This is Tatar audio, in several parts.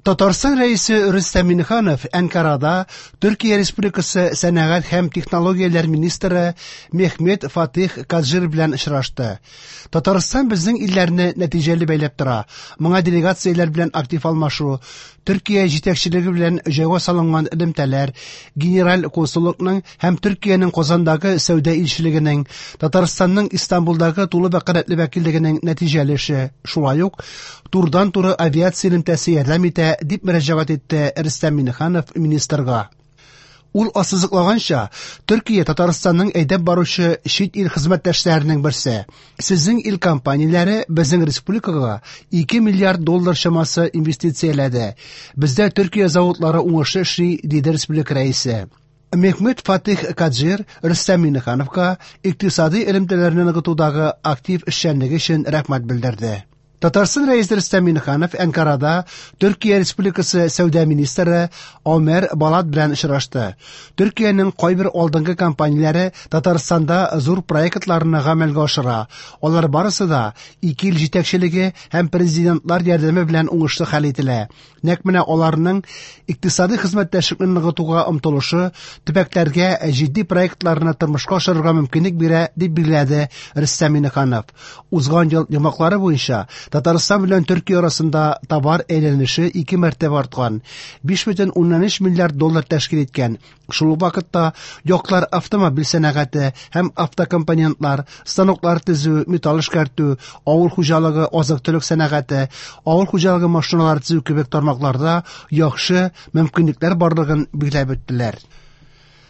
Татарстан Рәисе Рөстәм Миңнеханов Әнкарада Төркия Республикасы сәнәгать һәм технологияләр министры Мехмет Фатих Каджир белән очрашты. Татарстан безнең илләрне нәтиҗәле бәйләп тора. Моңа делегацияләр белән актив алмашу, Төркия җитәкчелеге белән җайга салынган элемтәләр, Генераль консуллыкның һәм Төркиянең Казандагы сәүдә илчелегенең, Татарстанның Истанбулдагы тулы вәкаләтле вәкиллегенең нәтиҗәле эше, шулай ук турыдан-туры авиация элемтәсе ярдәм итә, дип мөрәҗәгать итте Рөстәм Миңнеханов министрга. Ул ассызыклаганча, Төркия Татарстанның әйдәп баручы чит ил хезмәттәшләренең берсе. Сезнең ил компанияләре безнең республикага 2 миллиард доллар чамасы инвестицияләде. Бездә Төркия заводлары уңышлы эшли, диде республика рәисе. Мехмет Фатих Каджир Рөстәм Миңнехановка икътисади элемтәләрне ныгытудагы актив эшчәнлеге өчен рәхмәт белдерде. Татарстан Рәисе Рөстәм Миңнеханов Әнкарада Төркия Республикасы сәүдә министры Омер Балат белән очрашты. Төркиянең кайбер алдынгы компанияләре Татарстанда зур проектларны гамәлгә ашыра. Алар барысы да ике ил җитәкчелеге һәм президентлар ярдәме белән уңышлы хәл ителә. Нәкъ менә аларның икътисади хезмәттәшлекне ныгытуга омтылышы төбәкләргә җитди проектларны тормышка ашырырга мөмкинлек бирә, дип билгеләде Рөстәм Миңнеханов. Узган ел йомгаклары буенча Татарстан белән Төркия арасында товар әйләнеше ике мәртәбә арткан – 5,3 миллиард доллар тәшкил иткән. Шул ук вакытта яклар автомобиль сәнәгате һәм автокомпонентлар, станоклар төзү, металл эшкәртү, авыл хуҗалыгы, азык-төлек сәнәгате, авыл хуҗалыгы машиналары төзү кебек тармакларда яхшы мөмкинлекләр барлыгын билгеләп үттеләр.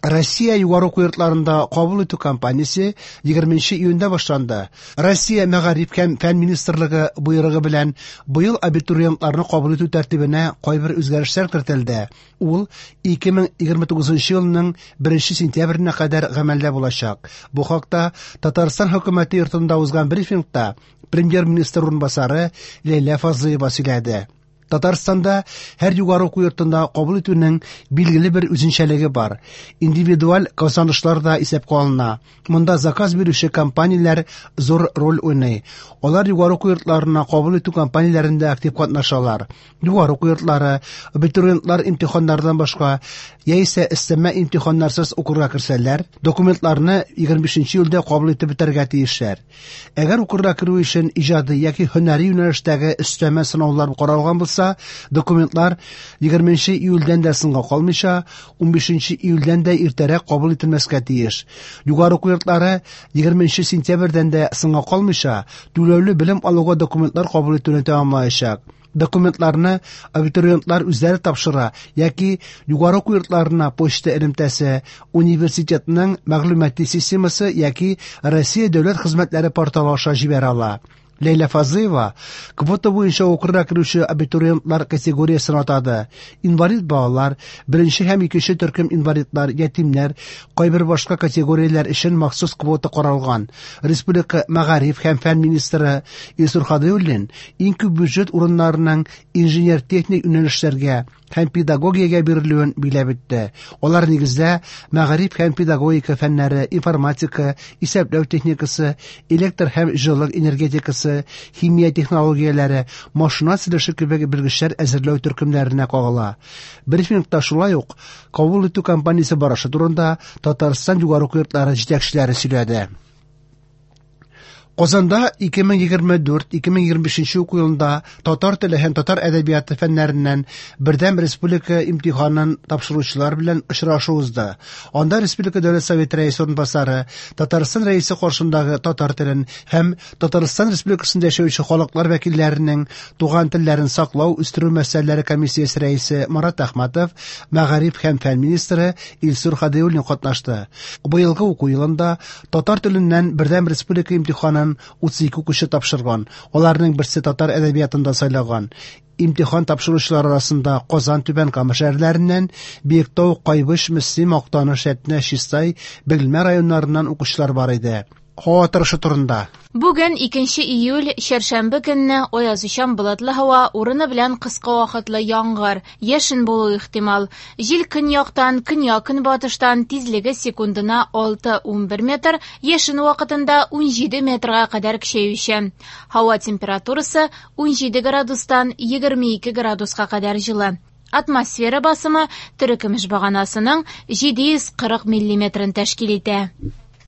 Россия югары уку йортларында кабул итү кампаниясе 20 июньдә башланды. Россия Мәгариф һәм фән министрлыгы боерыгы белән быел абитуриентларны кабул итү тәртибенә кайбер үзгәрешләр кертелде. Ул 2029 елның 1 сентябренә кадәр гамәлдә булачак. Бу хакта Татарстан хөкүмәте йортында узган брифингта премьер-министр урынбасары Ләйлә Фазлыева сөйләде. Татарстанда һәр югары уку йортында кабул итүнең билгеле бер үзенчәлеге бар. Индивидуаль казанышлар да исәпкә алына. Монда заказ бирүче компанияләр зур роль уйный. Алар югары уку йортларына кабул итү кампанияләрендә актив катнашалар. Югары уку йортлары, абитуриентлар имтиханнардан башка яисә өстәмә имтиханнарсыз укырга керсәләр, документларны 25 июльдә кабул итеп бетәргә тиешләр. Әгәр укырга керү өчен иҗади яки һөнәри юнәлештәге өстәмә сынаулар каралган булса, документлар 20 июльдән дә соңга калмыйча, 15 июльдән дә иртәрәк кабул ителмәскә тиеш. Югары уку йортлары 20 сентябрьдән дә соңга калмыйча, түләүле белем алуга документлар кабул итүне тәмамлаячак. Документларны абитуриентлар үзләре тапшыра яки югары уку йортларына почта элемтәсе, университетның мәгълүмати системасы яки Россия дәүләт хезмәтләре порталы аша җибәрә ала. Ләйлә Фазлыева квота буенча укырга керүче абитуриентлар категориясен атады. Инвалид балалар, беренче һәм икенче төркем инвалидлар, ятимнәр, кайбер башка категорияләр өчен махсус квота каралган. Республика мәгариф һәм фән министры Илсур Һадиуллин иң күп бюджет урыннарының инженер-техник юнәлешләргә һәм педагогиягә бирелүен билгеләп үтте. Алар нигездә мәгариф һәм педагогика фәннәре, информатика, исәпләү техникасы, электр һәм җылылык энергетикасы, химия технологияләре, машина төзелеше кебек белгечләр әзерләү төркемнәренә кагыла. Брифингта шулай ук кабул итү кампаниясе барышы турында Татарстан югары уку йортлары җитәкчеләре сөйләде. Казанда 2024-2025 уку елында татар теле һәм татар әдәбияты фәннәреннән бердәм республика имтиханын тапшыручылар белән очрашу узды. Анда Республика Дәүләт Советы рәисе урынбасары, Татарстан Рәисе каршындагы татар телен һәм Татарстан Республикасында яшәүче халыклар вәкилләренең туган телләрен саклау, үстерү мәсьәләләре комиссиясе рәисе Марат Әхмәтов, мәгариф һәм фән министры Илсур Һадиуллин катнашты. Быелгы уку елында татар теленнән бердәм республика имтиханын 32 укучы тапшырган. Аларның берсе татар әдәбиятын да сайлаган. Имтихан тапшыручылар арасында Казан, Түбән Кама шәһәрләреннән, Биектау, Кайбыч, Мөслим, Актаныш, Әтнә, Чистай, Бөгелмә районнарыннан укучылар бар иде. һава торышы турында. Бүген 2 июль, чәршәмбе көнне аязучан болытлы һава, урыны белән кыска вакытлы яңгыр, яшен булуы ихтимал. Җил көньяктан, көньяк-көнбатыштан, тизлеге секундына 6-11 метр, яшен вакытында 17 метрга кадәр көчәючән. Һава температурасы 17 градустан 22 градуска кадәр җылы. Атмосфера басымы терекөмеш баганасының 740 миллиметрын тәшкил итә.